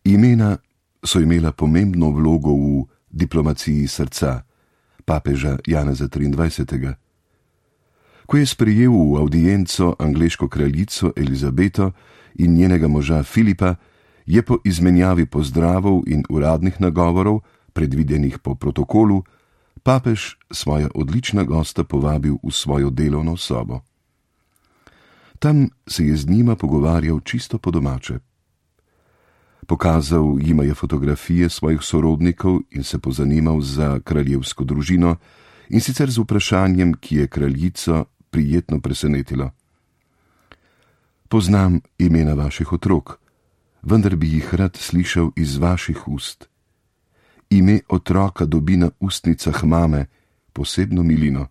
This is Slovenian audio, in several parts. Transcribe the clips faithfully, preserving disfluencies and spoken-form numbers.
Imena so imela pomembno vlogo v diplomaciji srca papeža Janeza triindvajsetega. Ko je sprejel v avdienco angleško kraljico Elizabeto in njenega moža Filipa, je po izmenjavi pozdravov in uradnih nagovorov, predvidenih po protokolu, papež svoja odlična gosta povabil v svojo delovno sobo. Tam se je z njima pogovarjal čisto po domače. Pokazal jima je fotografije svojih sorodnikov in se pozanimal za kraljevsko družino, in sicer z vprašanjem, ki je kraljico prijetno presenetilo. Poznam imena vaših otrok, vendar bi jih rad slišal iz vaših ust. Ime otroka dobi na ustnicah mame posebno milino.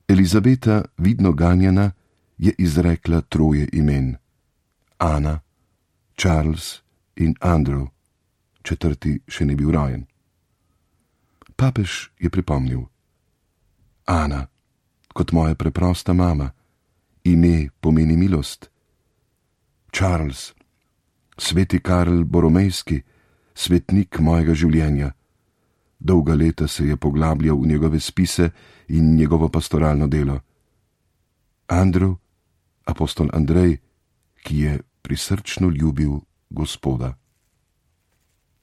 Elizabeta, vidno ganjena, je izrekla troje imen: Ana, Charles in Andrew, četrti še ni bil rojen. Papež je pripomnil: Ana, kot moja preprosta mama, ime pomeni milost. Charles, sveti Karl Boromejski, svetnik mojega življenja. Dolga leta se je poglabljal v njegove spise in njegovo pastoralno delo. Andrew, apostol Andrej, ki je prisrčno ljubil Gospoda.